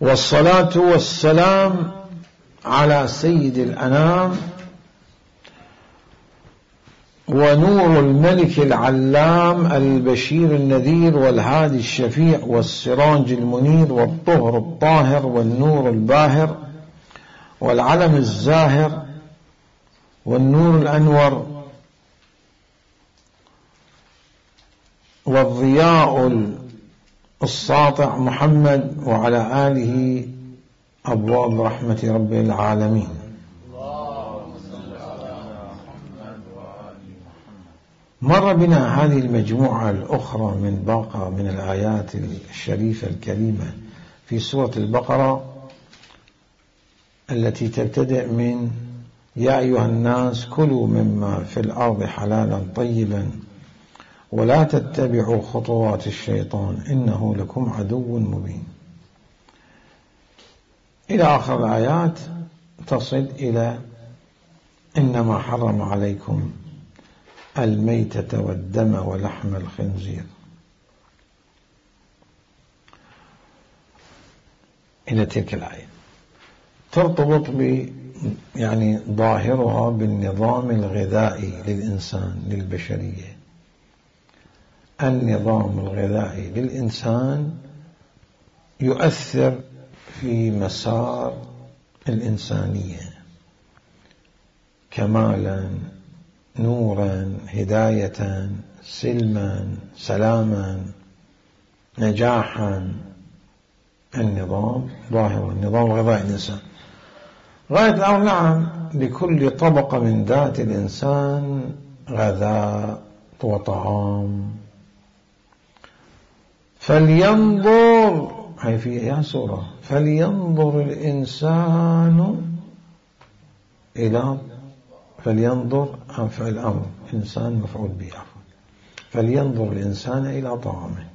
والصلاة والسلام على سيد الأنام ونور الملك العلام البشير النذير والهادي الشفيع والسراج المنير والطهر الطاهر والنور الباهر والعلم الزاهر والنور الأنور والضياء الساطع محمد وعلى آله أبواب رحمة رب العالمين. مر بنا هذه المجموعة الأخرى من باقة من الآيات الشريفة الكريمة في سورة البقرة التي تبتدئ من يا أيها الناس كلوا مما في الأرض حلالا طيبا ولا تتبعوا خطوات الشيطان إنه لكم عدو مبين إلى آخر الآيات تصل إلى إنما حرم عليكم الميتة والدم ولحم الخنزير إلى تلك الآية ترتبط يعني ظاهرها بالنظام الغذائي للإنسان للبشرية. النظام الغذائي للإنسان يؤثر في مسار الإنسانية كمالا نورا هداية سلما سلاما نجاحا. النظام ظاهر النظام الغذائي للإنسان غاية الأمر نعم لكل طبقة من ذات الإنسان غذاء وطعام. فلينظر هي في يا سورة فلينظر الإنسان إلى فلينظر فعل الأمر إنسان مفعول به فلينظر الإنسان إلى طعامه.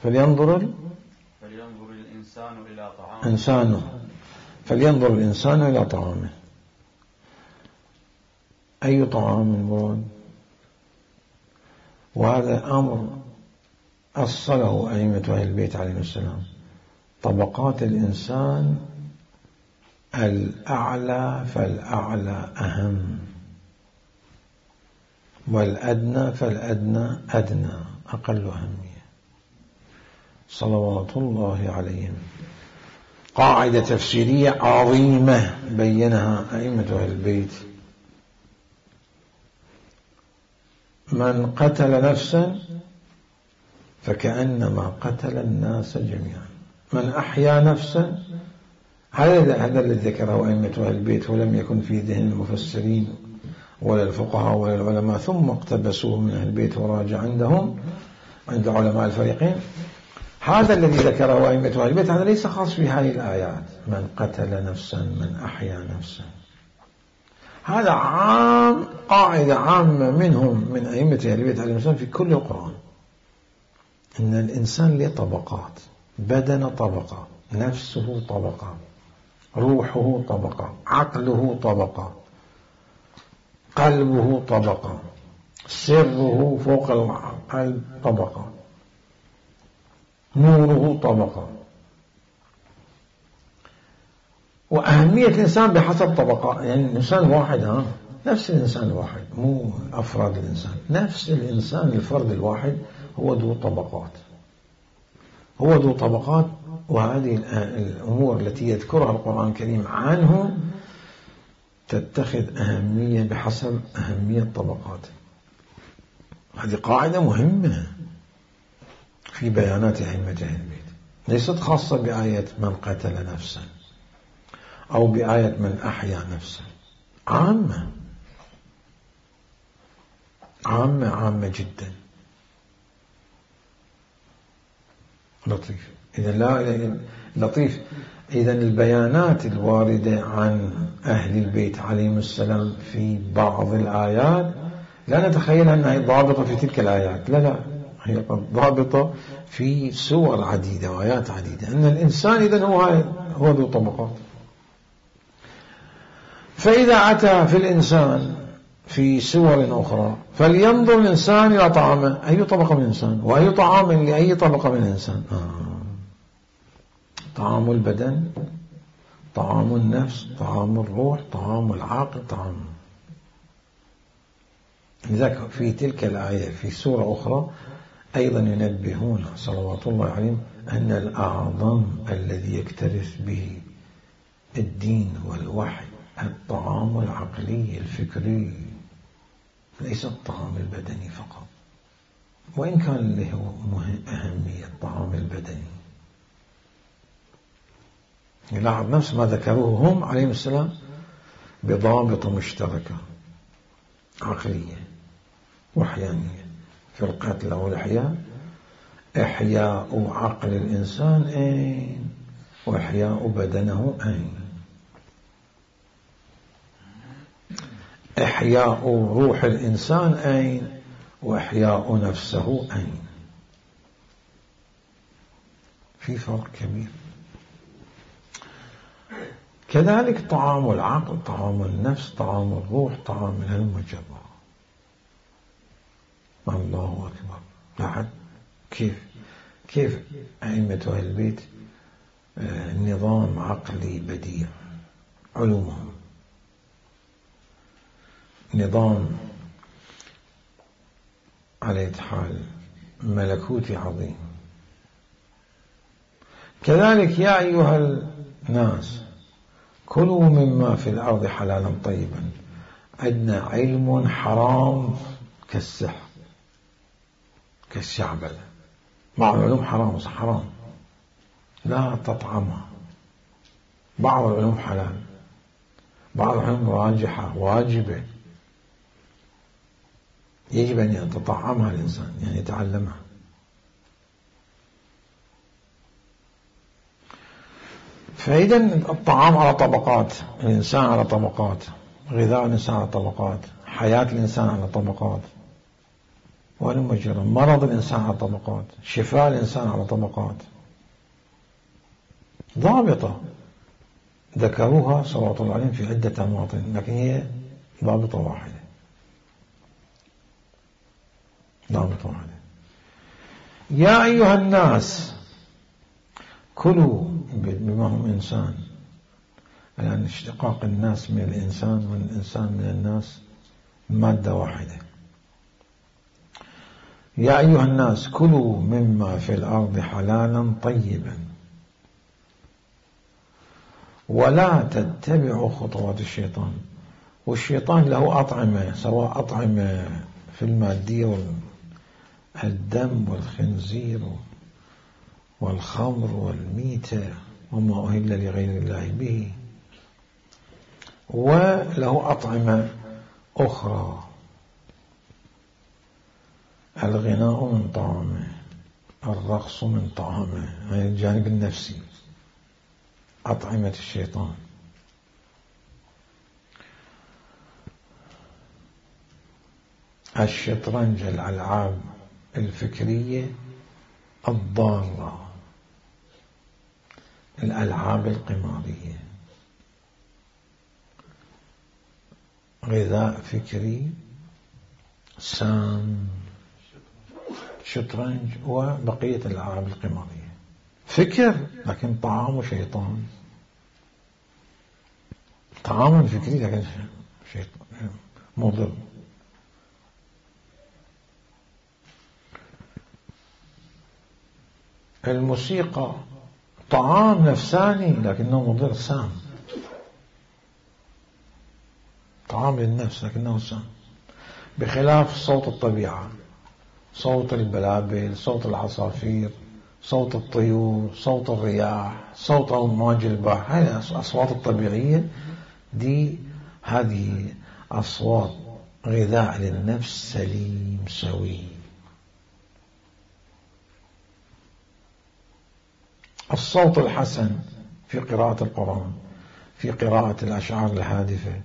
فلينظر الإنسان إلى طعامه فلينظر الإنسان إلى طعامه. أي طعام مراد؟ وهذا أمر أصله أئمة أهل البيت عليهم السلام. طبقات الإنسان الأعلى فالأعلى أهم والأدنى فالأدنى أدنى أقل أهمية صلوات الله عليهم. قاعدة تفسيرية عظيمة بينها أئمة أهل البيت. من قتل نفسا فكأنما قتل الناس جميعا. من أحيا نفسا هذا الذي ذكره أئمة أهل البيت ولم يكن في ذهن المفسرين ولا الفقهاء ولا العلماء ثم اقتبسوه من أهل البيت وراجع عندهم عند علماء الفريقين. هذا الذي ذكره أئمة أهل البيت هذا ليس خاص بهذه الآيات. من قتل نفسا من أحيا نفسا هذا عام قاعدة عامة منهم من أئمة أهل البيت عليهم السلام في كل القرآن. إن الإنسان له طبقات. بدن طبقة نفسه طبقة روحه طبقة عقله طبقة قلبه طبقة سره فوق القلب طبقة نوره طبقة. وأهمية الإنسان بحسب طبقة. يعني الإنسان واحد نفس الإنسان الواحد مو أفراد الإنسان. نفس الإنسان الفرد الواحد هو ذو طبقات وهذه الأمور التي يذكرها القرآن الكريم عنه تتخذ أهمية بحسب أهمية طبقاته. هذه قاعدة مهمة في بيانات أئمة أهل البيت ليست خاصة بآية من قتل نفسا أو بآية من أحيا نفسا. عامة جدا. لطيف. لطيف. إذا البيانات الواردة عن أهل البيت عليهم السلام في بعض الآيات لا نتخيل أنها ضابطة في تلك الآيات. لا هي ضابطة في سور عديدة وآيات عديدة. أن الإنسان إذن هو ذو طبقات. فإذا أتى في الإنسان في سور أخرى. فلينظر الإنسان إلى طعامه، أي طبقة من الإنسان، وأي طعام لأي طبقة من الإنسان. طعام البدن، طعام النفس، طعام الروح، طعام العقل، طعام. لذلك في تلك الآية في سورة أخرى أيضا ينبهون صلوات الله عليهم أن الأعظم الذي يكترث به الدين والوحي الطعام العقلي الفكري، ليس الطعام البدني فقط، وإن كان له أهمية الطعام البدني. يلاحظ نفس ما ذكروه هم عليهم السلام بضابط مشتركة عقلية وحيانية في القتل أو الإحياء. إحياء عقل الإنسان أين، وإحياء بدنه أين. إحياء روح الإنسان أين، وإحياء نفسه أين. في فرق كبير. كذلك طعام العقل، طعام النفس، طعام الروح، طعام العلم والجبر. الله أكبر. لاحظ كيف أئمة أهل البيت نظام عقلي بديع، علومهم نظام على حال ملكوتي عظيم. كذلك يا أيها الناس كلوا مما في الأرض حلالا طيبا. عندنا علم حرام كالسحر كالشعبلة، بعض العلوم حرام لا تطعمها، بعض العلوم حلال، بعض العلوم راجحة واجبة يجب أن يتطعمها الإنسان، يعني يتعلمها. فإذا الطعام على طبقات، الإنسان على طبقات، غذاء الإنسان على طبقات، حياة الإنسان على طبقات، مرض الإنسان على طبقات، شفاء الإنسان على طبقات ضابطة ذكروها صلوات الله عليهم في عدة مواطن، لكن هي ضابطة واحدة. يا أيها الناس كلوا، بما هم إنسان، لأن اشتقاق الناس من الإنسان والإنسان من الناس مادة واحدة. يا أيها الناس كلوا مما في الأرض حلالا طيبا ولا تتبعوا خطوات الشيطان. والشيطان له أطعمة، سواء أطعمة في المادية والدم والخنزير والخمر والميتة وما أهل لغير الله به، وله أطعمة أخرى، الغناء من طعامه، الرقص من طعامه، يعني الجانب النفسي، أطعمة الشيطان. الشطرنج، الألعاب الفكرية الضارة، الألعاب القمارية، غذاء فكري سام، شطرنج وبقية الألعاب القمارية. فكر لكن طعام شيطان، طعام فكري لكن شيطان مضر. الموسيقى طعام نفساني لكنه مضر سام، طعام للنفس لكنه سام، بخلاف صوت الطبيعة، صوت البلابل، صوت العصافير، صوت الطيور، صوت الرياح، صوت أمواج البحر. هذه الأصوات الطبيعية دي، هذه أصوات غذاء للنفس سليم سوي. الصوت الحسن في قراءة القرآن، في قراءة الأشعار الهادفة،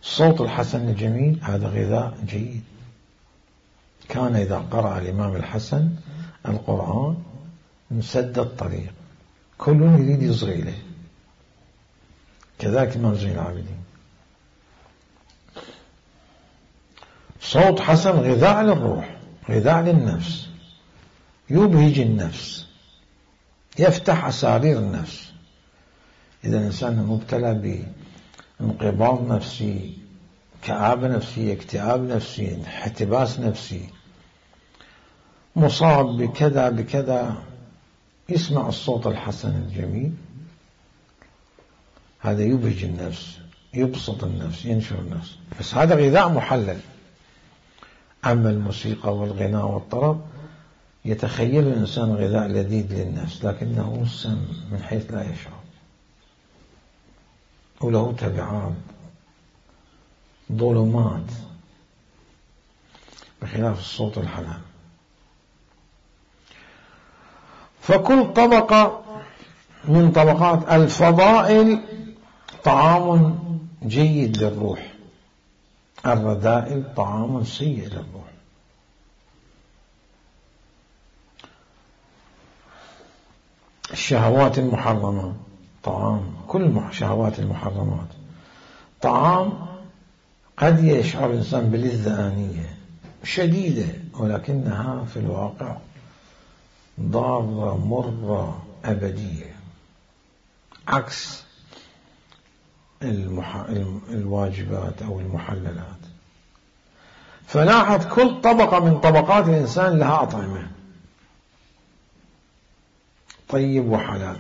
الصوت الحسن الجميل هذا غذاء جيد. كان إذا قرأ الإمام الحسن القرآن مسد الطريق، كل يريد يصغي إليه. كذلك الإمام زين العابدين. صوت حسن غذاء للروح، غذاء للنفس، يبهج النفس، يفتح أسارير النفس. إذا الإنسان مبتلى بانقباض نفسي، كآبة نفسية، اكتئاب نفسي، احتباس نفسي، مصاب بكذا بكذا، يسمع الصوت الحسن الجميل، هذا يبهج النفس، يبسط النفس، ينشر النفس، بس هذا غذاء محلل. أما الموسيقى والغناء والطرب يتخيل الإنسان غذاء لذيذ للنفس، لكنه سم من حيث لا يشعر، وله تبعات، ظلمات، بخلاف الصوت الحلال. فكل طبقة من طبقات الفضائل طعام جيد للروح، الرذائل طعام سيء للروح. الشهوات المحرمة طعام، كل شهوات المحرمات طعام قد يشعر الإنسان بلذة آنية شديدة، ولكنها في الواقع ضارة مرة أبدية، عكس الواجبات أو المحللات. فلاحظ كل طبقة من طبقات الإنسان لها أطعمة، طيب وحلال.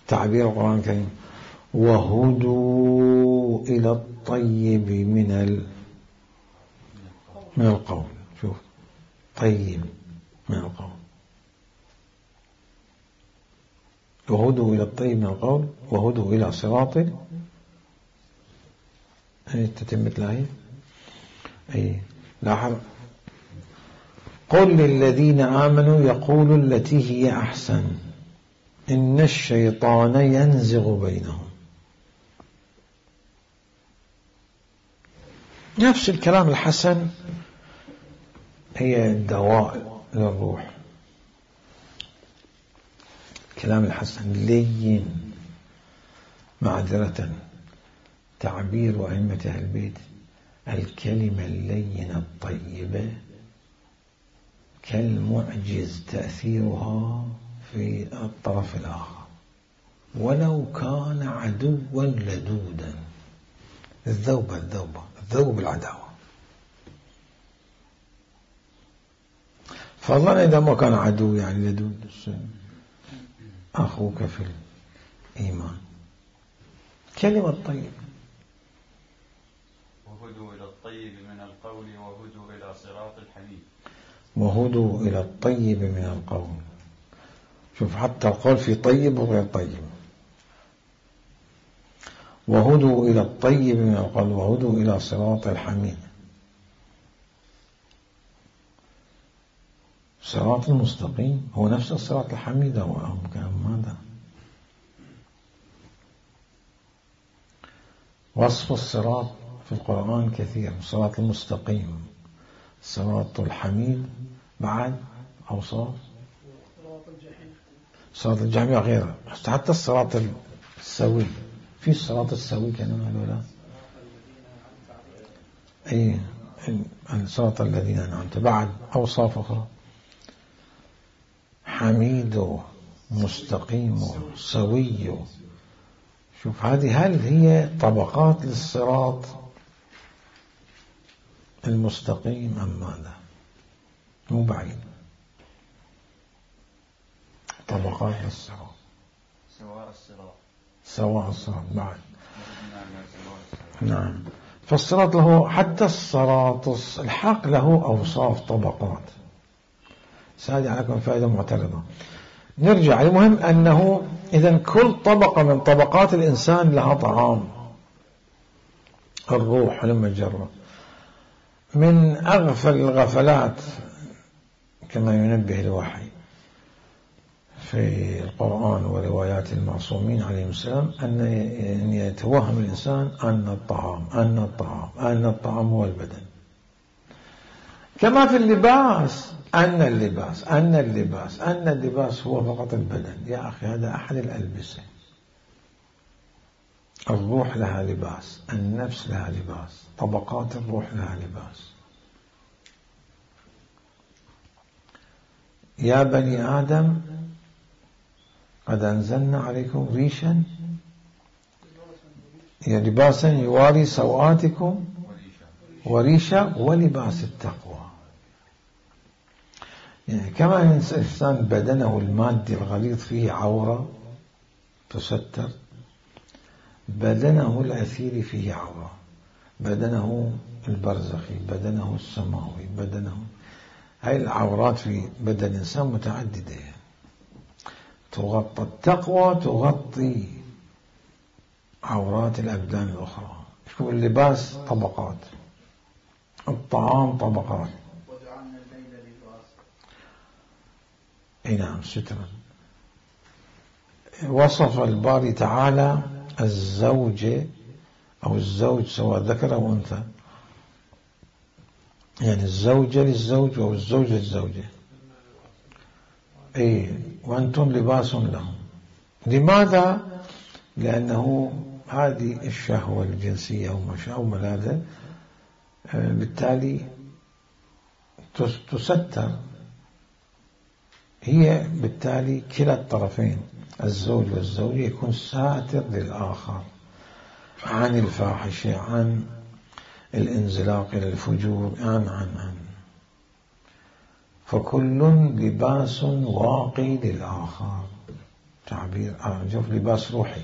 تعبير القرآن الكريم وهدوا إلى الطيب من القول، شوف طيب من القول، وهدوا إلى الطيب من القول وهدوا إلى صراط تتمة الآية. أي لاحظ قل للذين آمنوا يقولوا التي هي أحسن إن الشيطان ينزغ بينهم. نفس الكلام الحسن هي الدواء للروح. كلام الحسن لين، معذرة تعبير أئمة أهل البيت الكلمة اللينة الطيبة كالمعجز تأثيرها في الطرف الآخر ولو كان عدوا لدودا. الذوب العداوة، فضلا إذا ما كان عدو يعني لدود، أخوك في الإيمان. كلمة طيب وهدوا إلى الطيب من القول وهدوا إلى صراط الحميد. وهدوا إلى الطيب من القول، شوف حتى القول في طيب وغير طيب. وهدوا إلى الطيب من القول وهدوا إلى صراط الحميد. صراط المستقيم هو نفس الصراط الحميد أو ماذا؟ وصف الصراط في القرآن كثير، الصراط المستقيم، الصراط الحميد، بعد أوصاف صراط الجحيم غيره، حتى الصراط السوي، في الصراط السوي كانوا هذولا أي الصراط الذين أنعمت، بعد أوصاف أخرى حميد مستقيم سوي. شوف هذه هل هي طبقات للصراط المستقيم أم ماذا؟ مو بعيد، طبقات للصراط، سواء الصراط بعد. نعم، فالصراط له حتى الصراط الحق له أوصاف طبقات. سأجعل عليكم فائدة معترضة. نرجع، المهم أنه إذن كل طبقة من طبقات الإنسان لها طعام الروح. لما جرب من أغفل الغفلات كما ينبه الوحي في القرآن وروايات المعصومين عليهم السلام أن يتوهم الإنسان أن الطعام هو البدن، كما في اللباس أن اللباس هو فقط البدن. يا أخي هذا أحد الألبسة، الروح لها لباس، النفس لها لباس، طبقات الروح لها لباس. يا بني آدم قد أنزلنا عليكم ريشا لباسا يواري سوآتكم وريشا ولباس التقوى. يعني كما الإنسان بدنه المادي الغليظ فيه عورة تستر، بدنه الأثيري فيه عورة، بدنه البرزخي، بدنه السماوي، بدنه، هاي العورات في بدن الإنسان متعددة. تغطى التقوى، تغطي عورات الأبدان الأخرى. شوف اللباس طبقات، الطعام طبقات. اي نعم، سترا. وصف الباري تعالى الزوجة أو الزوج سواء ذكر أو أنثى، يعني الزوجة للزوج أو الزوج للزوجة، أي وأنتم لباس لهم. لماذا؟ لأنه هذه الشهوة الجنسية أو ملاذة بالتالي تستر، هي بالتالي كلا الطرفين الزوج والزوجة يكون ساتر للآخر عن الفاحشة، عن الانزلاق إلى الفجور، عن فكل لباس واقي للآخر. تعبير شوف، لباس روحي.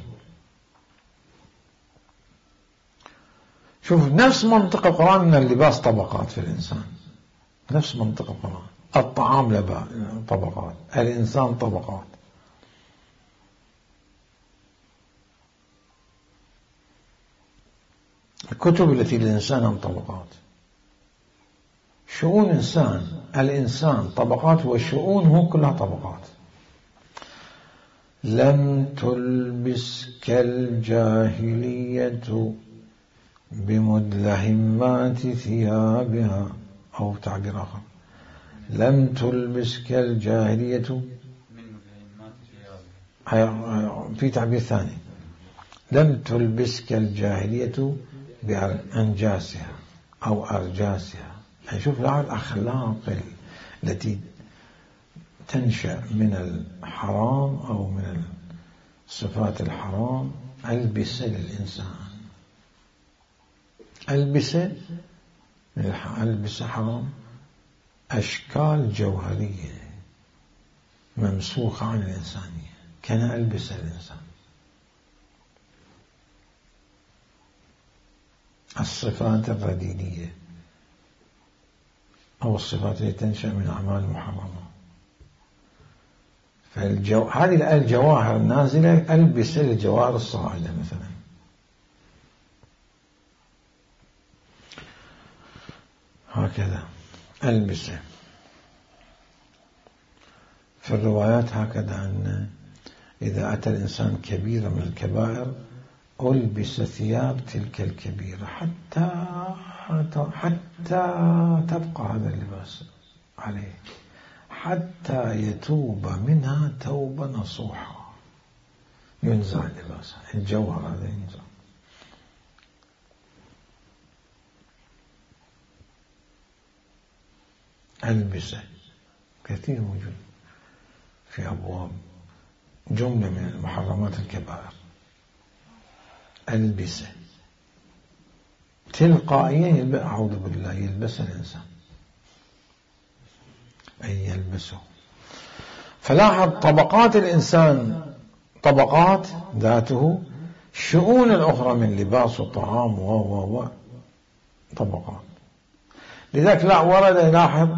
شوف نفس منطق القرآن أن اللباس طبقات في الإنسان، نفس منطق القرآن. الطعام طبقات، الإنسان طبقات. الكتب التي للإنسان طبقات، شؤون الإنسان طبقات، وشؤونه كلها طبقات. لم تلبسك الجاهلية بمدلهمات ثيابها، أو تعبير آخر، لم تلبسك الجاهلية في تعبير ثاني، لم تلبسك الجاهلية بأنجاسها أو أرجاسها. يعني شوف الأخلاق التي تنشأ من الحرام أو من صفات الحرام ألبسة للإنسان، ألبسة حرام، أشكال جوهرية ممسوخة عن الإنسانية، كان ألبسة الإنسان. الصفات الرديئة أو الصفات التي تنشأ من أعمال محرمة. هذه الجواهر النازلة ألبسة للجواهر الصاعدة مثلا. هكذا ألبسة. في الروايات هكذا أن إذا أتى الإنسان كبيرة من الكبائر ألبس ثياب تلك الكبيرة حتى تبقى هذا اللباس عليه، حتى يتوب منها توبة نصوحة، ينزع اللباس، الجوهر هذا ينزع. ألبسة كثير موجود في أبواب جملة من المحرمات الكبائر. ألبسة تلقائيا أعوذ بالله يلبس الإنسان، أي يلبسه. فلاحظ طبقات الإنسان طبقات ذاته، شؤون الأخرى من لباس وطعام و طبقات. لذلك لا ورد لاحظ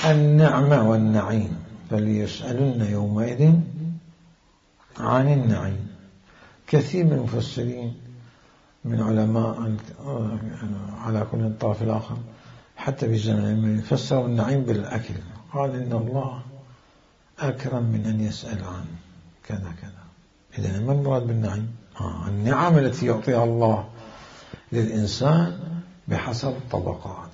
النعمة والنعيم، فليسألن يومئذ عن النعيم. كثير من المفسرين من علماء على كل الطرف الآخر حتى في زمن فسروا النعيم بالأكل، قال إن الله أكرم من أن يسأل عن كذا كذا. إذن ما المراد بالنعيم؟ النعم التي يعطيها الله للإنسان بحسب طبقات.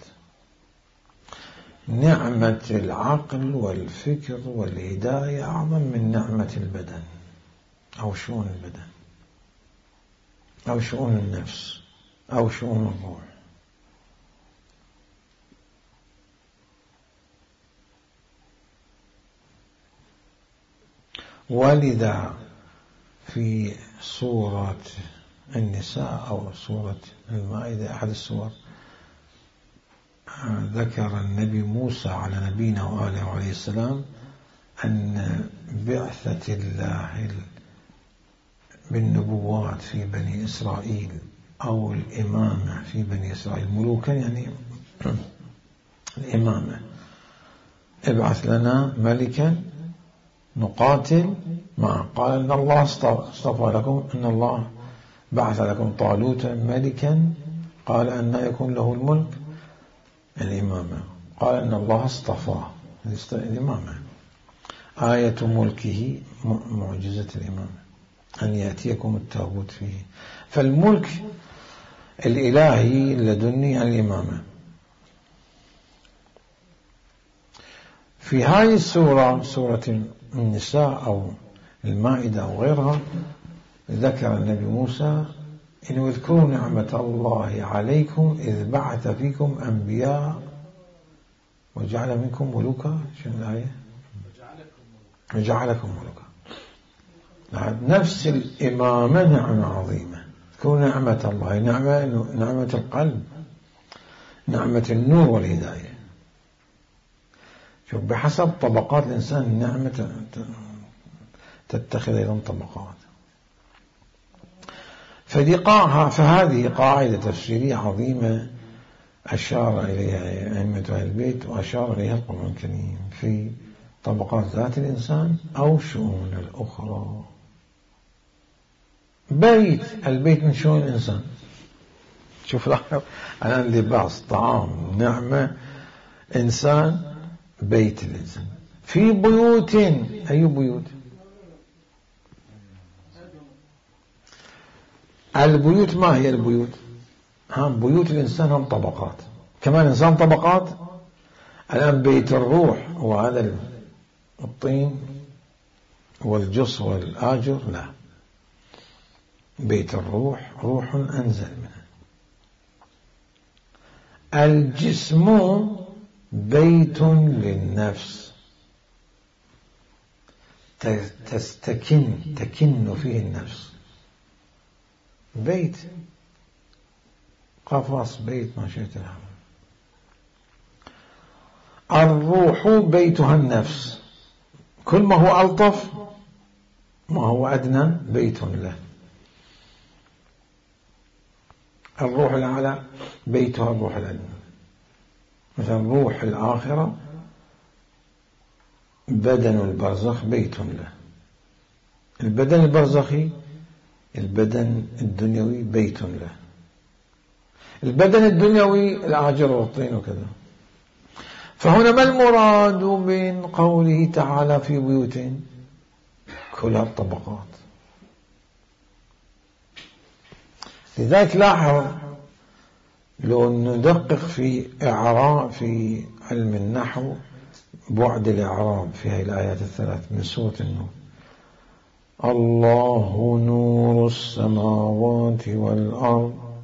نعمة العقل والفكر والهداية أعظم من نعمة البدن أو شؤون البدن. أو شؤون النفس أو شؤون الروح. ولذا في سورة النساء أو سورة المائدة أحد السور ذكر النبي موسى على نبينا وآله عليه السلام أن بعثة الله بالنبوات في بني إسرائيل أو الإمامة في بني إسرائيل، ملوكا يعني الإمامة، ابعث لنا ملكا نقاتل معه. قال إن الله اصطفى لكم، إن الله بعث لكم طالوت ملكا. قال أن يكون له الملك الإمامة. قال إن الله اصطفاه الإمامة. آية ملكه معجزة الإمامة أن يأتيكم التابوت فيه. فالملك الإلهي لدني الإمامة. في هذه السورة، سورة النساء أو المائدة أو غيرها، ذكر النبي موسى إن اذكروا نعمة الله عليكم إذ بعث فيكم أنبياء وجعل منكم ملوكا. شنو الآية؟ وجعلكم ملوكا. نفس الإمامة نعمة عظيمة. اذكروا نعمة الله، نعمة القلب، نعمة النور والهداية. شوف بحسب طبقات الإنسان النعمة تتخذ أيضا طبقات. فهذه قاعدة تفسيرية عظيمة أشار إليها أئمة أهل البيت وأشار إليها القرآن الكريم في طبقات ذات الإنسان أو شؤون الأخرى. البيت من شؤون الإنسان. شوف الآن لباس، طعام، نعمة، إنسان، بيت الإنسان. في بيوت، أي بيوت؟ البيوت ما هي البيوت؟ بيوت الإنسان هم طبقات، كمان الإنسان طبقات. الآن بيت الروح وهذا الطين والجص والآجر، لا، بيت الروح روح أنزل منه. الجسم بيت للنفس تكن فيه النفس. بيت قفص، بيت ما شئت له. الروح بيتها النفس، كل ما هو ألطف ما هو أدنى بيت له. الروح الأعلى بيتها الروح الأدنى. مثلا روح الآخرة بدن البرزخ بيت له. البدن البرزخي، البدن الدنيوي بيت له. البدن الدنيوي الآجر والطين وكذا. فهنا ما المراد من قوله تعالى في بيوت؟ كلها الطبقات. لذلك لاحظ لو ندقق في إعراب في علم النحو بعد الإعراب في هذه الآيات الثلاث من سورة النور: الله نور السماوات والأرض.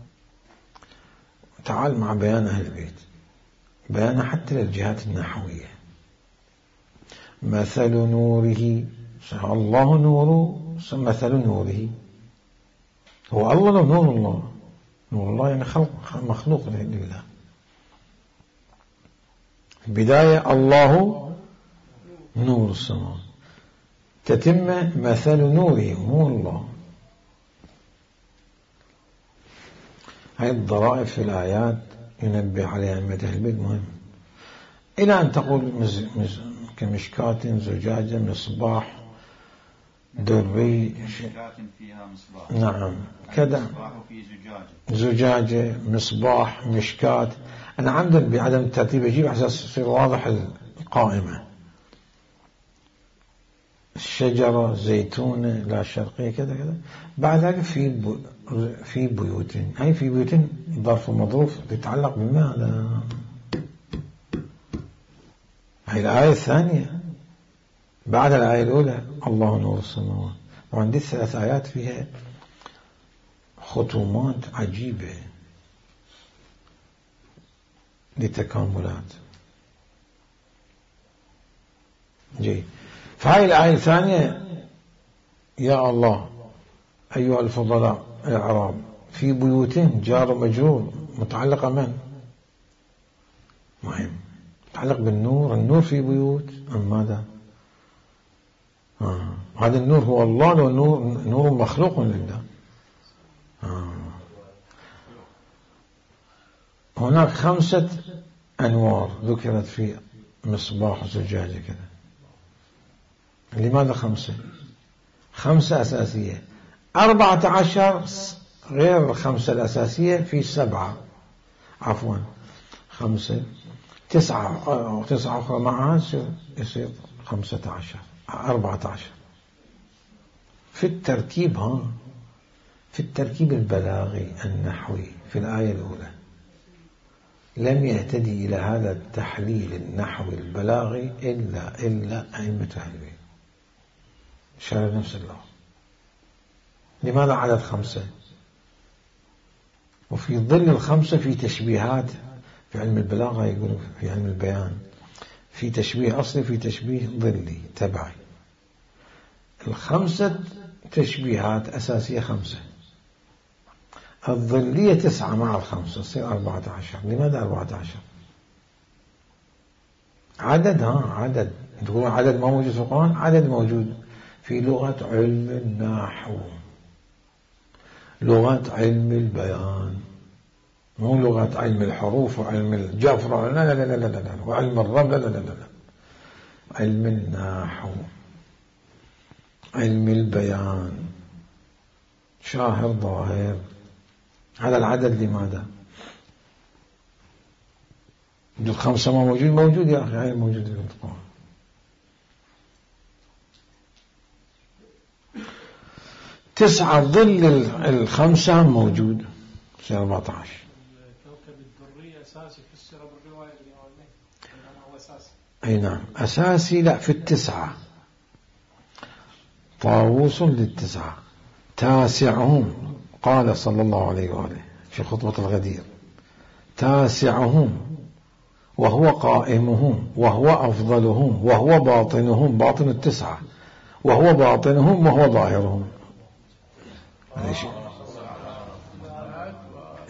تعال مع بيان أهل البيت، بيان حتى للجهات النحوية. مثل نوره، الله نور، مثل نوره. هو الله لو نور الله، نور الله يعني مخلوق لله. البداية الله نور السماوات، تتم مثل نوره مو الله. هاي الضرائب في الآيات ينبه عليها أئمة أهل البيت مهم. إلى أن تقول كمشكاة زجاجة مصباح دري، فيها مصباح. نعم كذا، زجاجة، مصباح، مشكاة. أنا عمدا بعدم الترتيب أجيب على أساس يصير واضح القائمة. الشجرة، زيتونة، لا شرقية، كذا كذا. بعد ذلك في بيوت. هاي في بيوت ظرف مظروف يتعلق بماذا؟ هاي الآية الثانية بعد الآية الأولى الله نور السماوات. وعندي 3 آيات فيها ختومات عجيبة لتكاملات. جيد. فهاي الآية الثانية: يا الله أيها الفضلاء الأعراب في بيوتهم، جار ومجرور، متعلقة من؟ مهم، متعلق بالنور. النور في بيوت أم ماذا؟ هذا النور هو الله لو نور مخلوق لله؟ هناك 5 أنوار ذكرت في مصباح زجاجة كذا. لماذا 5؟ 5 أساسية، 14 غير 5 الأساسية، في 7 عفوا 5 9 أخرى معها يصير 15 14 في التركيب. في التركيب البلاغي النحوي في الآية الأولى لم يهتدي إلى هذا التحليل النحوي البلاغي إلا أئمة أهل البيت. شارع نفس الله. لماذا عدد 5؟ وفي ظل ال5 في تشبيهات في علم البلاغة، يقولون في علم البيان في تشبيه أصلي في تشبيه ظلي تبعي. 5 تشبيهات أساسية 5، الظلية 9 مع 5 تصير 14. لماذا 14؟ عدد تقولون عدد ما موجود في القرآن، عدد موجود في لغة علم النحو، لغة علم البيان، مو لغة علم الحروف وعلم الجفر، لا لا لا لا لا، وعلم الرب، لا لا لا لا، علم النحو، علم البيان، شاهر ظاهر. هذا العدد لماذا؟ 5 ما موجود يا أخي، هاي موجود في القرآن. 9 ظل 5 موجود في 14. كوكب الدري أساسي فسر بالرواية اليومية هو أساسي. أي نعم أساسي. لا، في 9 طاووس لل9. تاسعهم قال صلى الله عليه وآله في خطبة الغدير: تاسعهم وهو قائمهم وهو أفضلهم وهو باطنهم، باطن ال9، وهو باطنهم وهو ظاهرهم.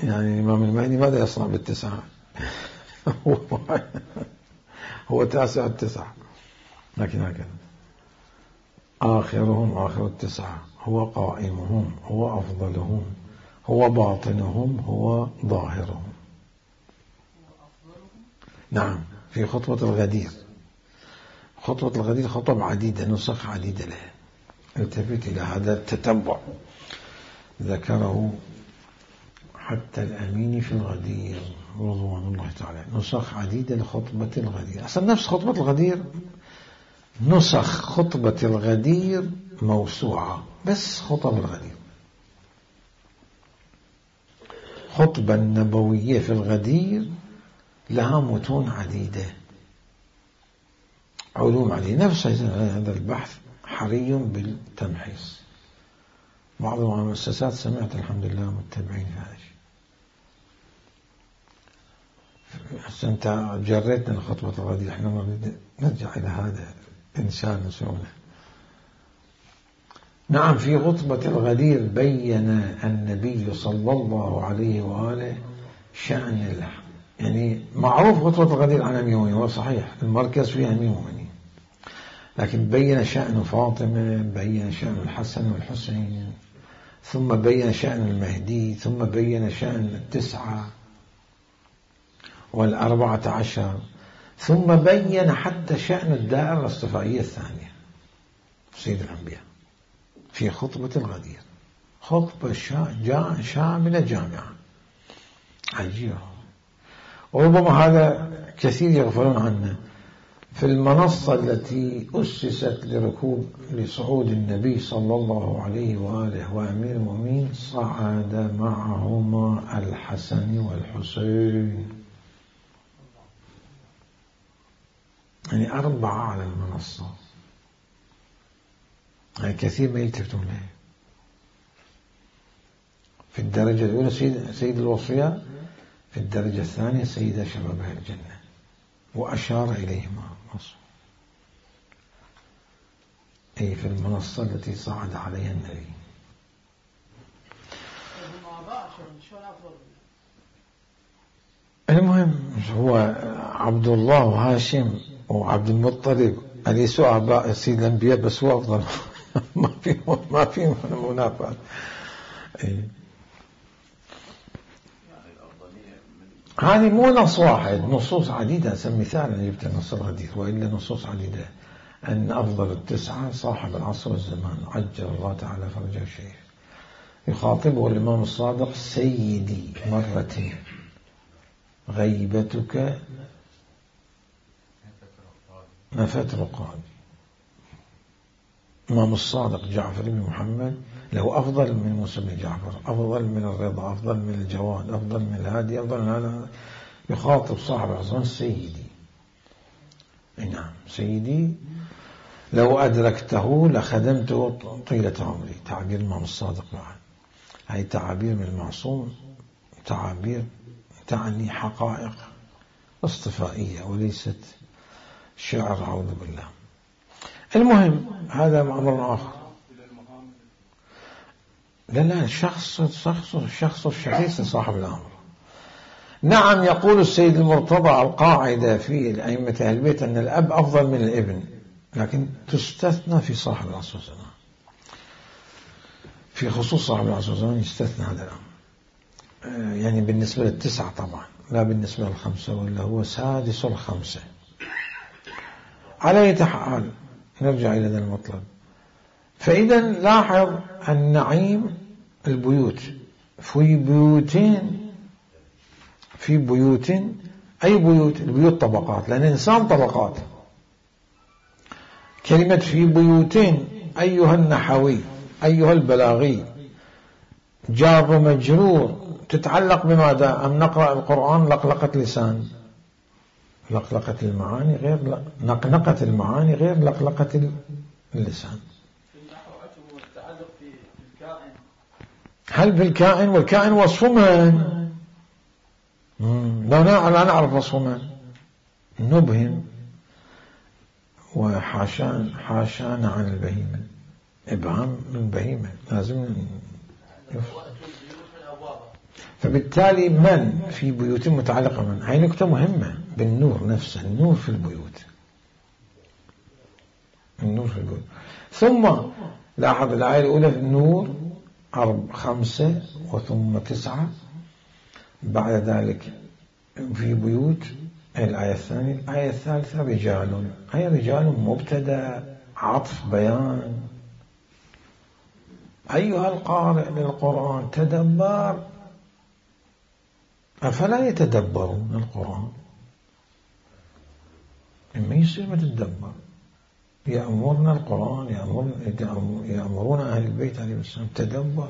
يعني الإمام المهدي ماذا يصنع بال9؟ هو تاسع ال9، لكن هكذا آخرهم آخر ال9، هو قائمهم هو أفضلهم هو باطنهم هو ظاهرهم. نعم، في خطبة الغدير. خطبة الغدير خطب عديدة، نسخ عديدة لها. التفت إلى هذا التتبع، ذكره حتى الأمين في الغدير رضوان الله تعالى، نسخ عديدة لخطبة الغدير. أصلا نفس خطبة الغدير، نسخ خطبة الغدير موسوعة، بس خطب الغدير. خطبة النبوية في الغدير لها متون عديدة، علوم عليه. نفس هذا البحث حري بالتمحيص. بعض المؤسسات سمعت الحمد لله متبعين في هذا الشيء. أنت جريتنا لخطبة الغدير، احنا نريد نرجع إلى هذا إنسان نسونه. نعم، في خطبة الغدير بين النبي صلى الله عليه وآله شأن يعني معروف خطبة الغدير عن أمير المؤمنين، هو صحيح المركز فيها أمير المؤمنين، لكن بين شأن فاطمة، بين شأن الحسن والحسين، ثم بين شأن المهدي، ثم بين شأن 9 و14، ثم بين حتى شأن الدائرة الاصطفائية الثانية سيد الأنبياء في خطبة الغدير. خطبة شاملة جامعة عجيبة. وربما هذا كثير يغفلون عنه. في المنصة التي أسست لصعود النبي صلى الله عليه وآله وأمير المؤمنين، صعد معهما الحسن والحسين، يعني 4 على المنصة. يعني كثير ما يلتفتون له. في الدرجة الأولى سيد الوصية، في الدرجة الثانية سيد شبابها الجنة، وأشار إليهما أي في المنصة التي صعد عليها النبي. المهم هو عبد الله وهاشم وعبد المطلب أليسوا آباء سيد الأنبياء، بس هو أفضل. ما في منافاة. هذه مو نص واحد، نصوص عديدة. مثال أنا جبت نص الحديث، وإلا نصوص عديدة أن أفضل التسعة صاحب العصر والزمان عجل الله تعالى فرجه الشريف. يخاطبه الإمام الصادق سيدي مرتين، غيبتك ما فتر قال. الإمام الصادق جعفر بن محمد له أفضل من موسى بن جعفر، أفضل من الرضا، أفضل من الجواد، أفضل من الهادي، أفضل من هذا. يخاطب صاحب العصر سيدي. نعم سيدي لو أدركته لخدمته طيلة عمري. تعبير الإمام الصادق معا. هذه تعابير من المعصوم، تعابير تعني حقائق اصطفائية وليست شعر أعوذ بالله. المهم هذا أمر آخر. لا الشخص الشخيص صاحب الأمر. نعم يقول السيد المرتضى القاعدة في الأئمة أهل البيت أن الأب أفضل من الابن، لكن تستثنى في صاحب العصر والزمان. في خصوص صاحب العصر والزمان يستثنى هذا الأمر، يعني بالنسبة للتسعة طبعا، لا بالنسبة للخمسة، ولا هو سادس الخمسة. على أي حال نرجع إلى ذا المطلب. فإذا لاحظ النعيم البيوت في بيوت أي بيوت؟ البيوت طبقات، لأن الإنسان طبقات. كلمة في بيوتين أيها النحوي أيها البلاغي جار ومجرور تتعلق بماذا؟ أم نقرأ القرآن لقلقة لسان؟ لقلقة المعاني غير نقنقة المعاني غير لقلقة اللسان. هل في الكائن؟ والكائن وصف من؟ لا نعرف وصف من، نبهم وحاشانا عن البهيمة. إبهام من بهيمة لازم فبالتالي من في بيوت متعلقة من، هاي نكتة مهمة بالنور نفسه. النور في البيوت، النور في البيوت. ثم لاحظ الآية الأولى في النور 5 وثم 9، بعد ذلك في بيوت الآية الثانية. الآية الثالثة رجال، أي رجال مبتدأ عطف بيان. أيها القارئ للقرآن تدبر، أفلا يتدبرون القرآن؟ إما يصير ما تتدبر. يأمرنا القرآن، يأمرون أهل البيت عليه السلام تدبر.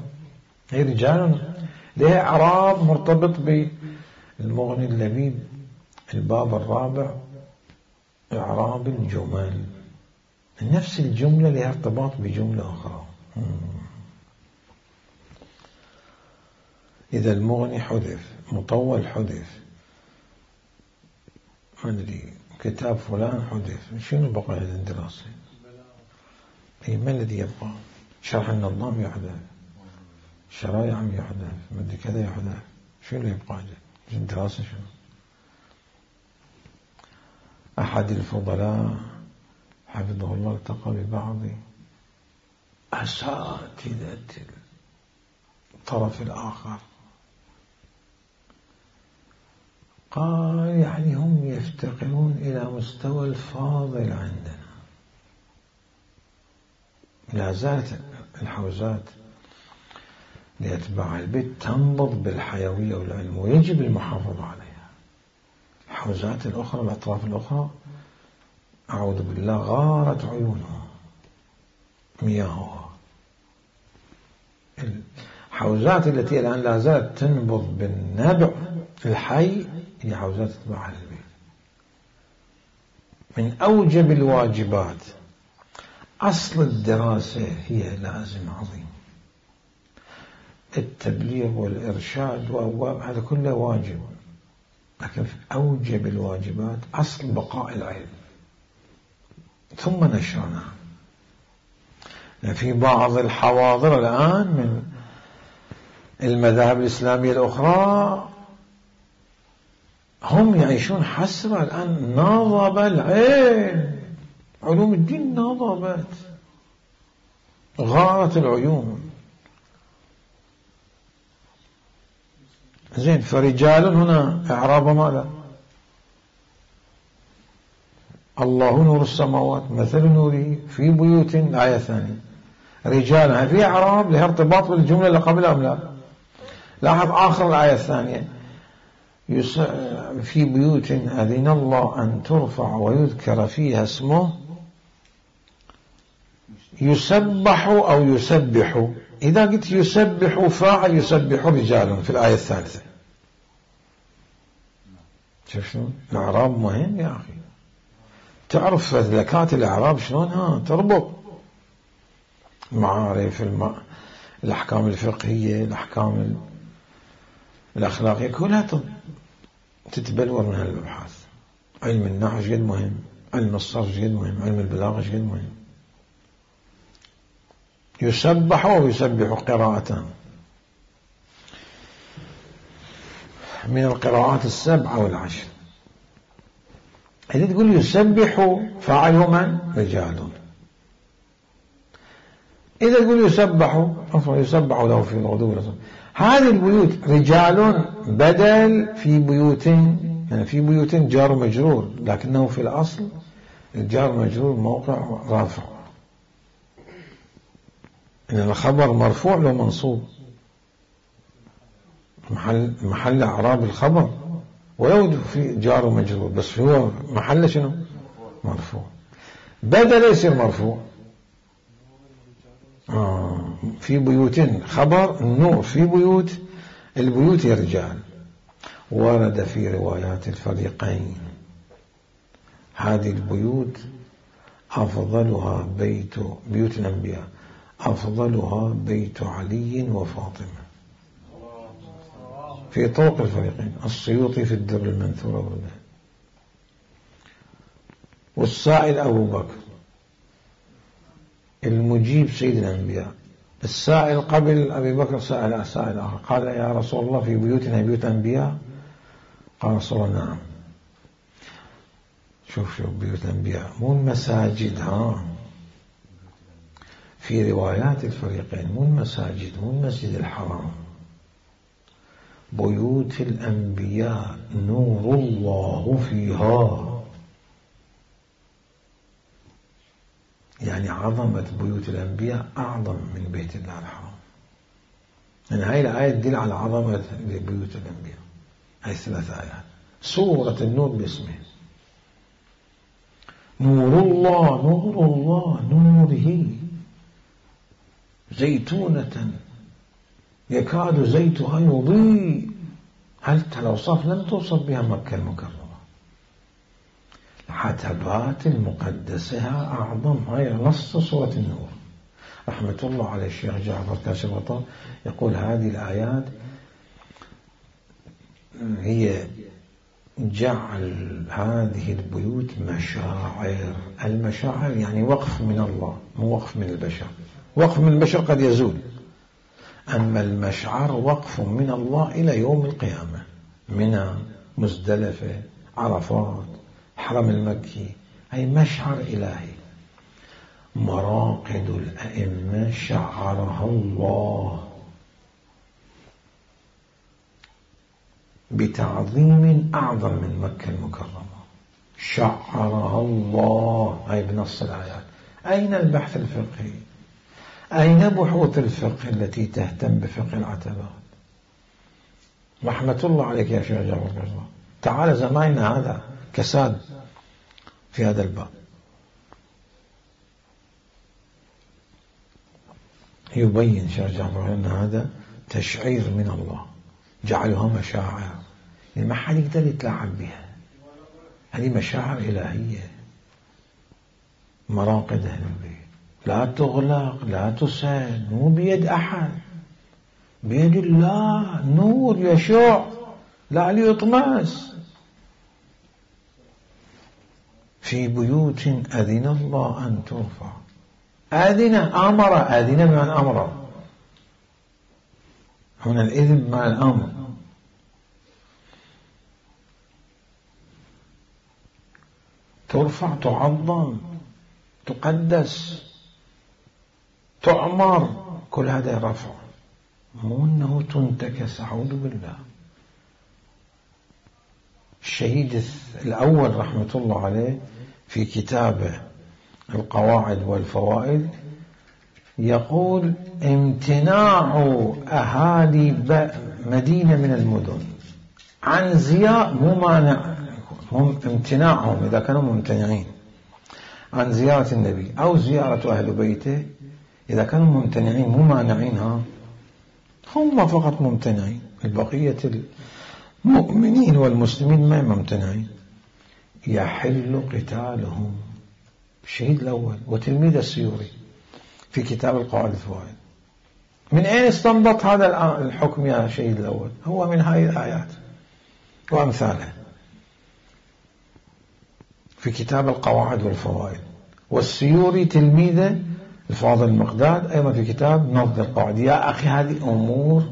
هي رجال لها إعراب مرتبط بالمغني اللبيب الباب الرابع، إعراب الجمل. نفس الجملة لها ارتباط بجملة أخرى. إذا المغني حذف، مطول حذف، ما أدري كتاب فلان حذف، شنو بقى هذا الدراسة؟ أي ما الذي يبقى؟ شرح النظام يحذف، شرايع يحذف، ما أدري كذا يحذف، شنو يبقى هذا؟ الدراسة شنو؟ أحد الفضلاء حفظه الله التقى ببعض أساتذة الطرف الآخر، قال يعني هم يفتقرون إلى مستوى الفاضل عندنا. لا زالت الحوزات لأتباع البيت تنبض بالحيوية والعلم، ويجب المحافظة عليها. الحوزات الأخرى، الأطراف الأخرى، أعوذ بالله غارت عيونها مياهها. الحوزات التي الآن لا زالت تنبض بالنبع الحي هي حوزات أتباع البيت. من أوجب الواجبات. أصل الدراسة هي لازم عظيم. التبليغ والإرشاد هذا كله واجب، لكن أوجب الواجبات أصل بقاء العلم ثم نشرنا. في بعض الحواضر الآن من المذاهب الإسلامية الأخرى هم يعيشون حسرة الآن، ناضب العلم، علوم الدين ناضبت، غارت العيون. زين، فرجال هنا إعراب ماذا؟ الله نور السماوات مثل نوره في بيوت، الآية الثانية رجال، في إعراب لها ارتباط بالجملة اللي قبلها أم لا؟ لاحظ آخر الآية الثانية في بيوت أذن الله أن ترفع ويذكر فيها اسمه يسبح أو يسبح. إذا قلت يسبح فاعل يسبح رجال في الآية الثالثة. شوف شلون الإعراب مهم يا أخي، تعرف فذلكات الإعراب شلونها تربط معارف الأحكام الفقهية، الأحكام الأخلاقية كلها تتبلور من هالأبحاث. علم النحو جد مهم، علم الصرف جد مهم، علم البلاغة جد مهم. يسبح ويسبح قراءتان من القراءات 7 والعشر. إذا تقول يسبح فاعله من؟ رجال. إذا تقول يسبح له في الغدو والآصال، هذه البيوت رجال بدل في بيوت، يعني في بيوت جار مجرور، لكنه في الأصل الجار مجرور موقع رافع، إن الخبر مرفوع لو منصوب، محل إعراب الخبر ولو في جار مجرور، بس هو محل شنو؟ مرفوع. بدل يصير مرفوع. في بيوت خبر النور، في بيوت، البيوت يا رجال. ورد في روايات الفريقين هذه البيوت أفضلها بيوت الأنبياء أفضلها بيت علي وفاطمة في طرق الفريقين، السيوطي في الدر المنثور والله. والسائل أبو بكر، المجيب سيد الأنبياء. السائل قبل أبي بكر سائل آخر قال يا رسول الله في بيوتنا بيوت أنبياء؟ قال رسول الله نعم. شوف بيوت الأنبياء مو المساجد، في روايات الفريقين مو المساجد، مو المسجد الحرام، بيوت الأنبياء نور الله فيها. يعني عظمة بيوت الأنبياء أعظم من بيت الله الحرام. يعني هاي الآية تدل على عظمة بيوت الأنبياء. هاي 3 آيات، سورة النور باسمه نور الله، نور الله نوره زيتونة يكاد زيتها يضيء. هل الأوصاف لم توصف بها مكة المكرمة، العتبات المقدسة أعظم. هاي نص سورة النور. رحمة الله على الشيخ جعفر كاشف الغطاء يقول هذه الآيات هي جعل هذه البيوت مشاعر. المشاعر يعني وقف من الله، مو وقف من البشر. وقف من البشر قد يزول، أما المشعر وقف من الله إلى يوم القيامة. منى، مزدلفة، عرفات، حرم المكي، أي مشعر إلهي. مراقد الأئمة شعرها الله بتعظيم أعظم من مكة المكرمة، شعرها الله. أي بنص الآيات. أين البحث الفقهي؟ أين بحوث الفقه التي تهتم بفقه العتبات؟ رحمة الله عليك يا شيخ جعفر. تعال زماننا هذا كساد في هذا الباب. يبين شيخ جعفر أن هذا تشعير من الله، جعلها مشاعر، يعني ما حد يقدر يتلاعب بها. هذه مشاعر إلهية، مراقد أهل البيت لا تغلق لا تسد، مو بيد أحد. بيد الله نور يشع لا ليطمس. في بيوت أذن الله أن ترفع. أذن أمر، أذن بمعنى أمر، هنا الإذن بمعنى الأمر. ترفع، تعظم، تقدس، تعمر، كل هذا رفع، مو أنه تنتكس. أعوذ بالله. الشهيد الأول رحمة الله عليه في كتابه القواعد والفوائد يقول: امتناع أهالي مدينة من المدن عن زيارة، مو مانع، هم امتناعهم إذا كانوا ممتنعين عن زيارة النبي أو زيارة أهل بيته، إذا كانوا ممتنعين مو مانعينها، هم فقط ممتنعين، البقية المؤمنين والمسلمين ما ممتنعين، يحل قتالهم. الشهيد الأول وتلميذ السيوري في كتاب القواعد الفوائد. من أين استنبط هذا الحكم يا الشهيد الأول؟ هو من هذه الآيات وأمثالها في كتاب القواعد والفوائد. والسيوري تلميذه الفاضل المقداد أيضا في كتاب نظم القواعد. يا أخي هذه أمور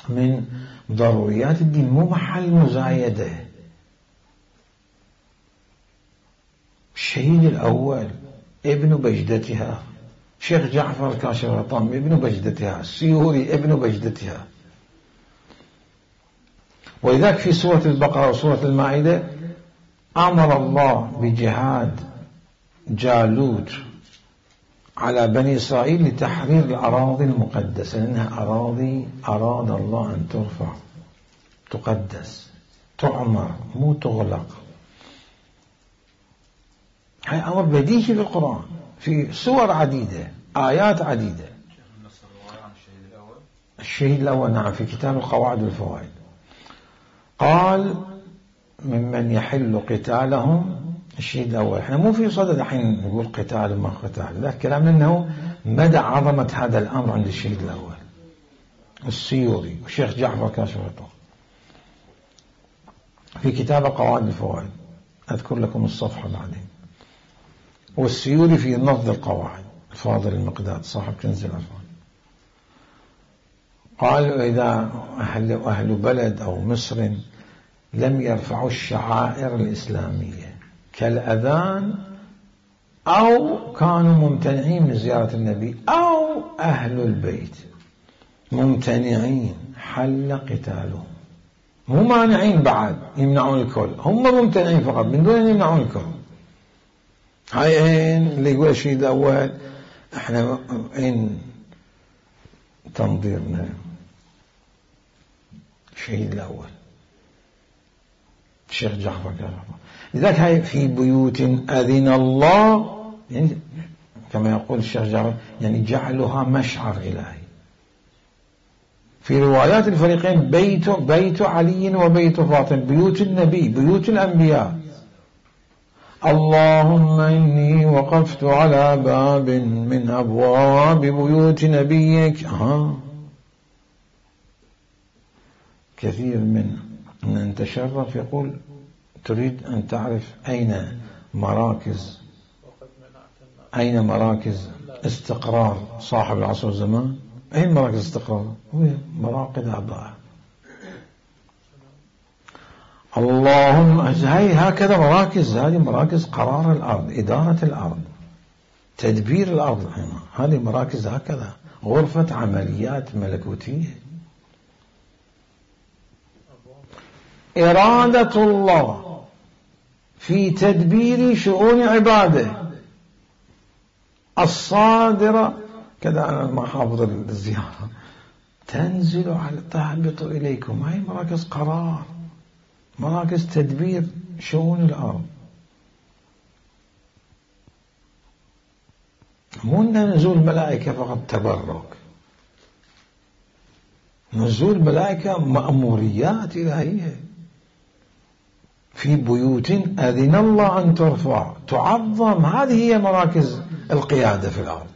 من ضروريات الدين، مو محل مزايدة. الشهيد الأول ابن بجدتها، شيخ جعفر كاشف الغطام ابن بجدتها، السيوري ابن بجدتها. ولذلك في سورة البقرة وسورة المائدة أمر الله بجهاد جالوت على بني إسرائيل لتحرير الأراضي المقدسة، لأنها أراضي أراد الله أن ترفع، تقدس، تعمر، مو تغلق. هاي أمر بديهي في القرآن في سور عديدة، آيات عديدة. الشهيد الأول نعم في كتاب القواعد والفوائد قال: ممن يحل قتالهم. الشهيد الأول احنا مو في صدد الحين نقول قتال ما قتال، لا، كلامنا أنه مدى عظمة هذا الأمر عند الشهيد الأول السيوري والشيخ جعفر كاشف الغطاء في كتاب قواعد الفوائد. أذكر لكم الصفحة بعدين. والسيوري في نظم القواعد الفاضل المقداد صاحب كنز العرفان. قالوا: إذا أهل بلد أو مصر لم يرفعوا الشعائر الإسلامية كالأذان، أو كانوا ممتنعين من زيارة النبي، أو أهل البيت ممتنعين، حل قتالهم. مو مانعين بعد يمنعون الكل، هم ممتنعين فقط من دون أن يمنعون الكل. هاي اللي يقول الشيء الأول احنا إن تنظيرنا الشهيد الأول الشيخ جعفر كاشف. لذلك هاي في بيوت أذن الله، يعني كما يقول الشيخ جعفر يعني جعلها مشعر إلهي. في روايات الفريقين بيت علي وبيت فاطمة، بيوت النبي، بيوت الأنبياء. اللهم إني وقفت على باب من أبواب بيوت نبيك. كثير من نتشرف يقول: تريد أن تعرف أين مراكز استقرار صاحب العصر والزمان؟ أين مراكز استقرار؟ هو مراقد أعضاء. اللهم هاي هكذا مراكز، هذه مراكز قرار الأرض، إدارة الأرض، تدبير الأرض. هذه مراكز هكذا، غرفة عمليات ملكوتية. إرادة الله في تدبير شؤون عباده الصادرة كذا. أنا ما حافظ الزيارة. تنزل على تهبط إليكم، هاي مراكز قرار، مراكز تدبير شؤون الأرض. مو نزول ملائكة فقط تبرك، نزول ملائكة مأموريات إلهية. في بيوت أذن الله أن ترفع تعظم، هذه هي مراكز القيادة في الأرض.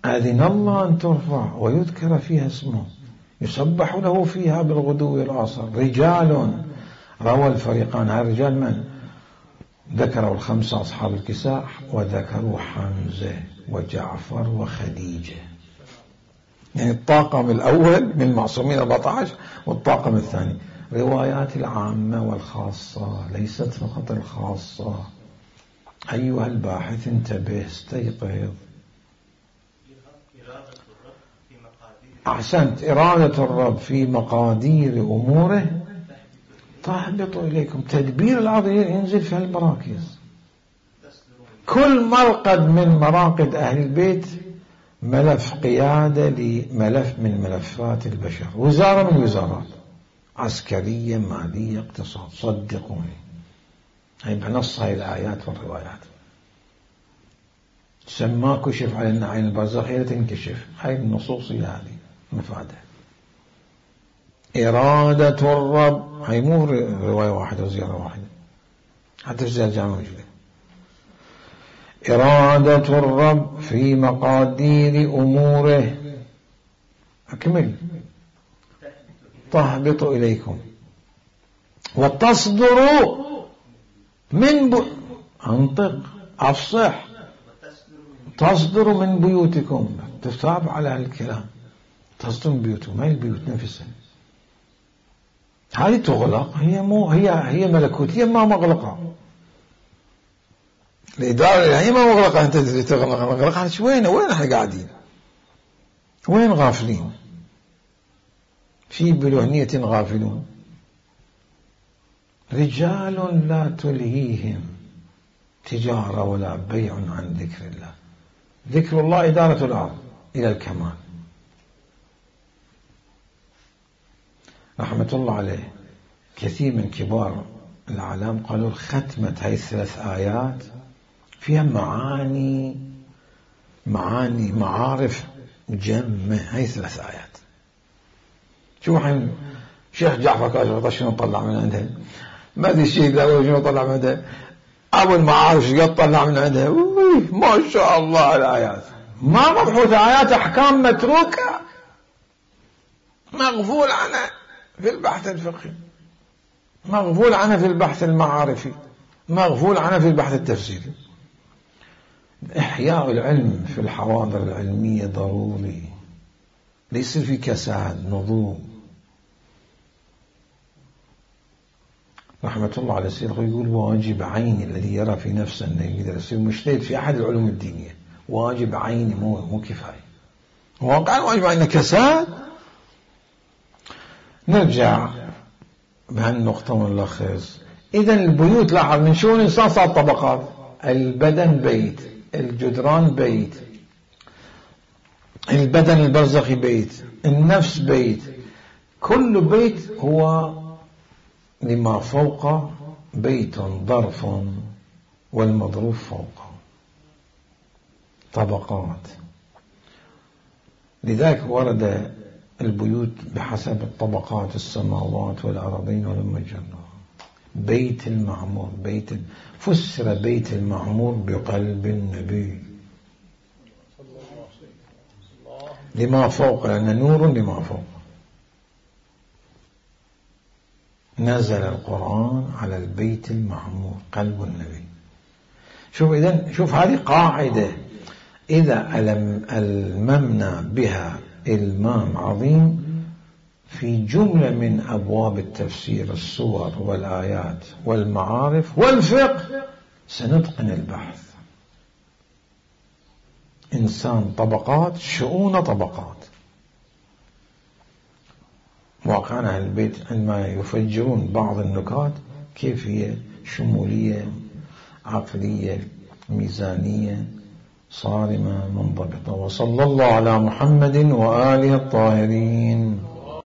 أذن الله أن ترفع ويذكر فيها اسمه يسبح له فيها بالغدو والآصال رجال روى الفريقان. هالرجال من؟ ذكروا الخمسة أصحاب الكساء وذكروا حمزة وجعفر وخديجة، يعني الطاقم الأول من المعصومين 14 والطاقم الثاني. روايات العامة والخاصة ليست فقط الخاصة. أيها الباحث انتبه استيقظ. أحسنت. إرادة الرب في مقادير أموره تهبط إليكم. تدبير العظيم ينزل في هالمراكز. كل مرقد من مراقد أهل البيت ملف قيادة لملف من ملفات البشر، وزارة من الوزارات، عسكرية، مالية، اقتصاد. صدقوني هاي بنص هاي الآيات والروايات. سما كشف علينا عين البرزخية تنكشف. هاي النصوصية هذه مفادة. إرادة الرب هاي مو رواية واحدة وزيارة واحدة، حتى في زيارة الجامعة موجودة. إرادة الرب في مقادير أموره أكمل تهبط إليكم وتصدر من أنطق أفصح. تصدر من بيوتكم. تتابع على الكلام. تصدر من بيوتكم. هاي البيوت نفسها هذه تغلق. هي ملكوتية ما مغلقة. الإدارة هي ما مغلقة. أنت تغلق وين احنا قاعدين؟ وين غافلين؟ في بلهنية غافلون. رجال لا تلهيهم تجارة ولا بيع عن ذكر الله. ذكر الله إدارة الأرض إلى الكمال. رحمة الله عليه كثير من كبار العالم قالوا ختمة هاي الثلاث آيات فيها معارف جمة. هاي ثلاث آيات. شو حين شيخ جعفر كاشف شنو طلع من عندها؟ ما ادري شيء لا شنو طلع من عندها. ابو المعارف قد طلع من عندها. ما شاء الله الآيات ما مبحوثة. آيات أحكام متروكة مغفول عنها في البحث الفقهي، مغفول عنها في البحث المعارفي، مغفول عنها في البحث التفسيري. إحياء العلم في الحواضر العلمية ضروري. ليس في كساد نضوج. رحمة الله على السيد يقول واجب عيني الذي يرى في نفسه أنه يقدر يصير مجتهد في أحد العلوم الدينية. واجب عيني مو كفاية. واقعا واجب عيني كساد. نرجع بهالنقطة ونلخص. إذا البيوت لاحظ من شؤون الإنسان صار طبقات. البدن بيت، الجدران بيت، البدن البرزخي بيت، النفس بيت. كل بيت هو لما فوق بيت ظرف والمظروف فوقه. طبقات. لذلك ورد البيوت بحسب الطبقات السماوات والأرضين والمجرات. بيت المعمور فسر بيت المعمور بقلب النبي لما فوق، لأن نور لما فوق. نزل القرآن على البيت المعمور قلب النبي. شوف هذه قاعدة إذا الممنا بها المام عظيم في جملة من أبواب التفسير، الصور والآيات والمعارف والفقه، سنتقن البحث. إنسان طبقات، شؤون طبقات. واقعنا أهل البيت عندما يفجرون بعض النكات كيف هي شمولية، عقلية، ميزانية، صارمة، منضبطة. وصلى الله على محمد وآله الطاهرين.